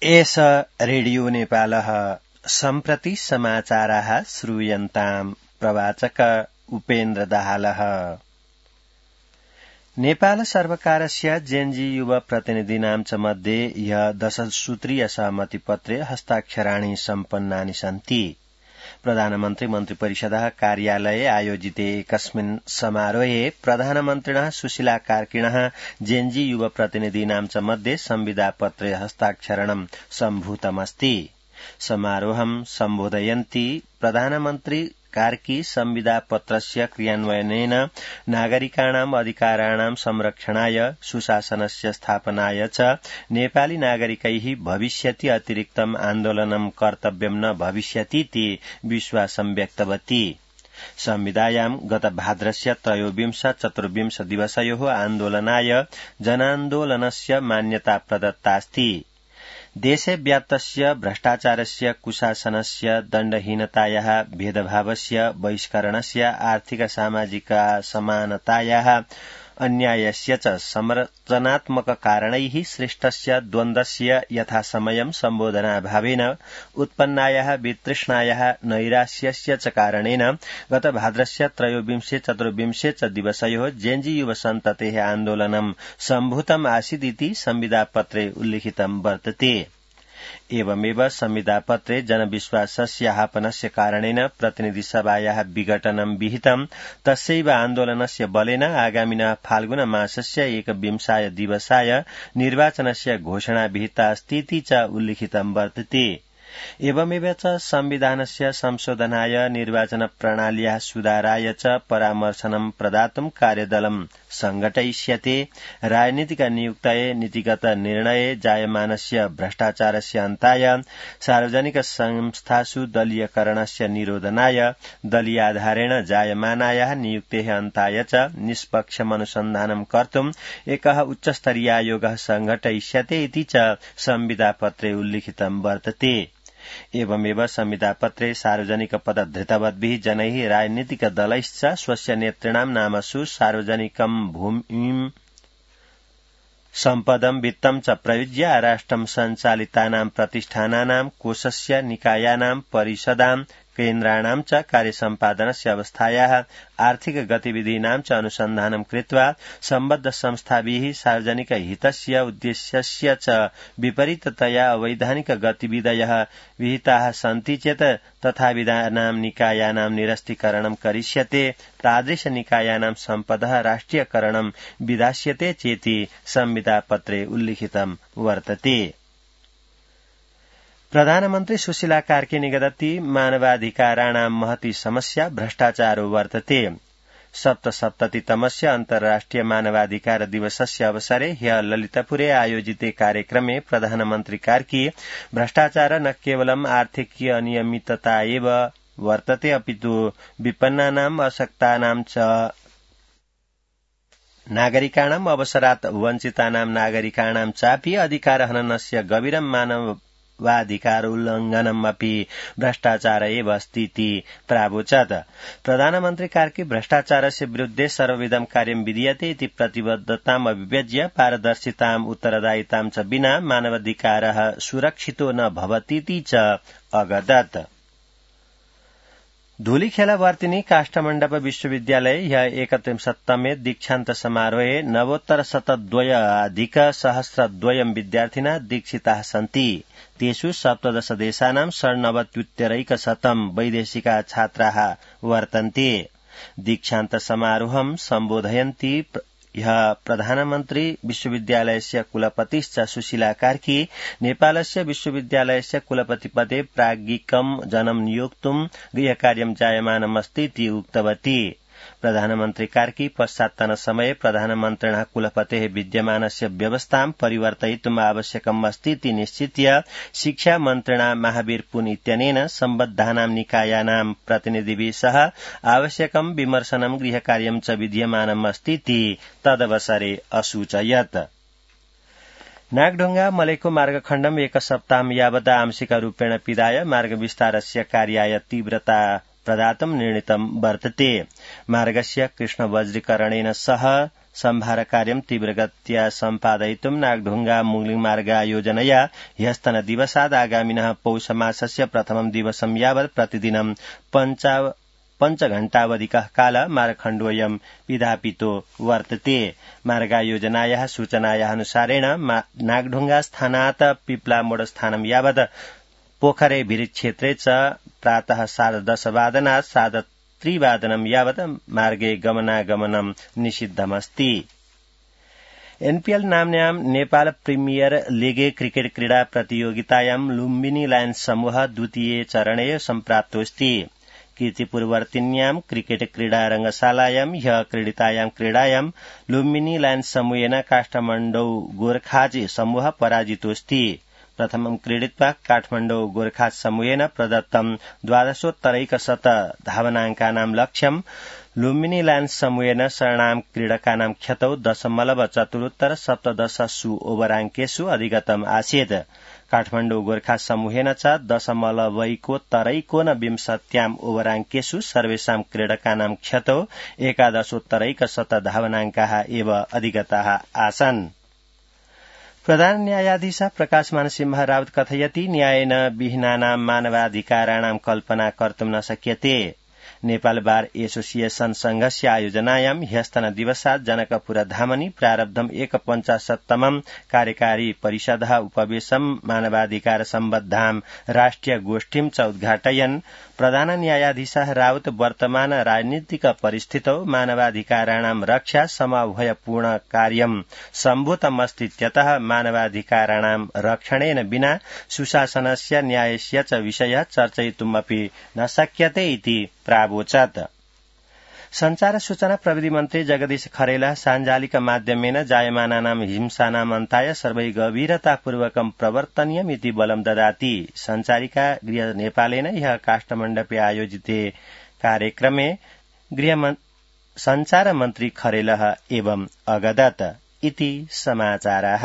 एष रेडियो नेपालः सम्प्रति समाचाराः श्रूयन्ताम् प्रवाचक उपेन्द्र दाहालः। नेपाल सर्वकारस्य जेएनजी युव प्रतिनिधीनां च मध्ये ह्य 10 सूत्रीय सहमतिपत्रे हस्ताक्षराणि सम्पन्नानि सन्ति। प्रधानमन्त्री मन्त्रिपरिषदः कार्यालये आयोजिते एकस्मिन् समारोहे प्रधानमन्त्रिणः सुशीला कार्किणः जेएनजी युव प्रतिनिधीनां च मध्ये संविदापत्रे हस्ताक्षरणं सम्भूतमस्ति। समारोहं सम्बोधयन्ती प्रधानमन्त्री कार्की संविदापत्रस्य क्रियान्वयनेन नागरिकाणाम् अधिकाराणां संरक्षणाय सुशासनस्य स्थापनाय च नेपाली नागरिकैः भविष्यति अतिरिक्तम् आन्दोलनं कर्तव्यं न भविष्यतीति विश्वासं व्यक्तवती। संविदायां गत भाद्रस्य 23-24 दिवसयोः आन्दोलनाय जनान्दोलनस्य मान्यता प्रदत्तास्ति। देशे व्याप्तस्य भ्रष्टाचारस्य कुशासनस्य दण्डहीनतायाः भेदभावस्य बहिष्करणस्य आर्थिक सामाजिक समानतायाः अन्यायस्य च संरचनात्मक कारणैः सृष्टस्य द्वन्द्वस्य यथासमयं सम्बोधनाभावेन उत्पन्नायाः वितृष्णायाः नैराश्यस्य च कारणेन गत भाद्रस्य 23-24 च दिवसयोः जेएनजी युव सन्ततेः आन्दोलनं सम्भूतम् आसीदिति संविदापत्रे उल्लिखितं वर्तते। एवमेव संविदापत्रे जनविश्वासस्य ह्रापनस्य कारणेन प्रतिनिधिसभायाः विघटनं विहितं। तस्यैव आन्दोलनस्य बलेन आगामिनः फाल्गुन मासस्य 21 दिवसाय निर्वाचनस्य घोषणा विहिता अस्तीति च उल्लिखितं वर्तते। एवमेव च संविधानस्य संशोधनाय निर्वाचन प्रणाल्याः सुधाराय च परामर्शनं प्रदातुं कार्यदलं संघटयिष्यते। राजनीतिक नियुक्तये नीतिगत निर्णये जायमानस्य भ्रष्टाचारस्य अन्ताय सार्वजनिक संस्थासु दलीयकरणस्य निरोधनाय दलीयाधारेण जायमानायाः नियुक्तेः अन्ताय च निष्पक्षम् अनुसन्धानं कर्तुम् एकः उच्चस्तरीयायोगः संघटयिष्यते इति च संविदापत्रे उल्लिखितं वर्तते। एवमेव संविदापत्रे सार्वजनिक पदधृतवद्भिः जनैः राजनीतिक दलैश्च स्वस्य नेतॄणां नामसु सार्वजनिकं भूमिं सम्पदं वित्तं च प्रयुज्य राष्ट्रं सञ्चालितानां प्रतिष्ठानानां कोषस्य निकायानां परिषदां केन्द्राणां च कार्यसम्पादनस्य अवस्थायाः आर्थिक गतिविधीनां च अनुसन्धानं कृत्वा सम्बद्ध संस्थाभिः सार्वजनिक हितस्य उद्देश्यस्य च विपरीततया अवैधानिक गतिविधयः विहिताः सन्ति चेत् तथाविधानां निकायानां निरस्तीकरणं करिष्यते। तादृश निकायानां सम्पदः राष्ट्रियकरणं विधास्यते चेति संविदापत्रे उल्लिखितं वर्तते। प्रधानमन्त्री सुशीला कार्की निगदति मानवाधिकाराणां महती समस्या भ्रष्टाचारो वर्तते। 77तमस्य अन्तर्राष्ट्रिय मानवाधिकार दिवसस्य अवसरे ह्यः ललितपुरे आयोजिते कार्यक्रमे प्रधानमन्त्री कार्की भ्रष्टाचार न केवलम् आर्थिकीय अनियमितता एव वर्तते अपितु विपन्नानाम् अशक्तानां च नागरिकाणाम् अवसरात् वञ्चितानां नागरिकाणां चापि अधिकारहननस्य गभीरं मानवाधिकारोल्लङ्घनम् अपि भ्रष्टाचार एव अस्तीति प्रावोचत्। प्रधानमन्त्री कार्की भ्रष्टाचारस्य विरुद्धे सर्वविधं कार्यं विधीयते इति प्रतिबद्धताम् अभिव्यज्य पारदर्शिताम् उत्तरदायितां च विना मानवाधिकारः सुरक्षितो न भवतीति च अगदत्। धूलिखेलवर्तिनी काष्ठमण्डप विश्वविद्यालये ह्यः 31तमे दीक्षान्त समारोहे नवोत्तर 102 विद्यार्थिनः दीक्षिताः सन्ति। तेषु 17 देशानां 99 वैदेशिका छात्राः वर्तन्ते। दीक्षान्त समारोहं सम्बोधयन्ती ह्यः प्रधानमन्त्री विश्वविद्यालयस्य कुलपतिश्च सुशीला कार्की नेपालस्य विश्वविद्यालयस्य कुलपतिपदे प्राज्ञिकं जनं नियोक्तुं गृहकार्यं जायमानमस्तीति उक्तवती। प्रधानमन्त्री कार्की पश्चात्तनसमये प्रधानमन्त्रिणः कुलपतेः विद्यमानस्य व्यवस्थां परिवर्तयितुम् आवश्यकम् अस्तीति निश्चित्य शिक्षा मन्त्रिणा महावीर पुन इत्यनेन सम्बद्धानां निकायानां प्रतिनिधिभिः सह आवश्यकं विमर्शनं गृहकार्यं च विद्यमानम् अस्तीति तदवसरे असूचयत्। नागढुङ्गा मलेको मार्गखण्डम् 1 सप्ताहं यावत् आंशिकरूपेण पिधाय मार्गविस्तारस्य कार्याय तीव्रता प्रदातुं निर्णीतं वर्तते। मार्गस्य कृष्णवज्रीकरणेन सह सम्भारकार्यं तीव्रगत्या सम्पादयितुं नागढुंगा मुंगलिङ मार्ग योजनया ह्यस्तन दिवसात् आगामिनः पौषमासस्य प्रथमं दिवसं यावत् प्रतिदिनं 5 घण्टावधिकः काल मार्गखण्डोऽयं विधापितो वर्तते। मार्गयोजनायाः सूचनायाः अनुसारेण नागढुंगा स्थानात् पिप्लामोड स्थानं यावत् पोखरे भिरिज क्षेत्रे च प्रातः 10:30 3:00 यावत् मार्गे गमनागमनं निषिद्धमस्ति। एनपीएल नाम्न्यां नेपाल प्रीमियर लीगे क्रिकेट क्रीडा प्रतियोगितायां लुम्बिनी लायन्स समूह द्वितीये चरणे सम्प्राप्तोऽस्ति। कीर्तिपुरवर्तिन्यां क्रिकेट क्रीडा रंगशालायां ह्यः क्रीडितायां क्रीडायां लुम्बिनी लायन्स समूहेन काठमाण्डौ गोर्खाज समूह पराजितोऽस्ति। प्रथमं क्रीडित्वा काठमाण्डौ गोर्खाज समूहेन प्रदत्तं 12:12 धावनाङ्कानां लक्ष्यं लुम्बिनी लायन्स समूहेन शरणां क्रीडकानां ख्यतौ 0.74 ओभराङ्केषु अधिगतम् आसीत्। काठमाण्डौ गोर्खा समूहेन च 0.29 ओभराङ्केषु सर्वेषां क्रीडकानां ख्यतौ 11.1 धावनाङ्काः एव अधिगताः आसन्। प्रधान न्यायाधीश प्रकाश मानसिंह राउत कथयति न्यायेन विहीनानां मानवाधिकाराणां कल्पना कर्तुं न शक्यते। नेपाल बार एसोसिएशन संघस्य आयोजनायां ह्यस्तन दिवसात् जनकपुरधामनि प्रारब्धम् 51तमं कार्यकारी परिषदः उपवेशं मानवाधिकार सम्बद्धां राष्ट्रिय गोष्ठीं च उद्घाटयन् प्रधान न्यायाधीशः राउत वर्तमान राजनीतिक परिस्थितौ मानवाधिकाराणां रक्षा समभयपूर्ण कार्यं सम्भूतमस्तीत्यतः मानवाधिकाराणां रक्षणेन विना सुशासनस्य न्यायस्य च विषयः चर्चयितुमपि न शक्यते इति प्रावोचत्। संचार सूचना प्रविधि मन्त्री जगदीश खरेला साञ्जालिक माध्यमेन जायमानानां हिंसानाम् अन्ताय सर्वै गभीरतापूर्वकं प्रवर्तनीयमिति बलं ददाति। संचारिका गृह नेपालेन ह्यः काष्ठमण्डपे आयोजिते कार्यक्रमे संचार मन्त्री खरेलः एवं अगदत् इति समाचाराः।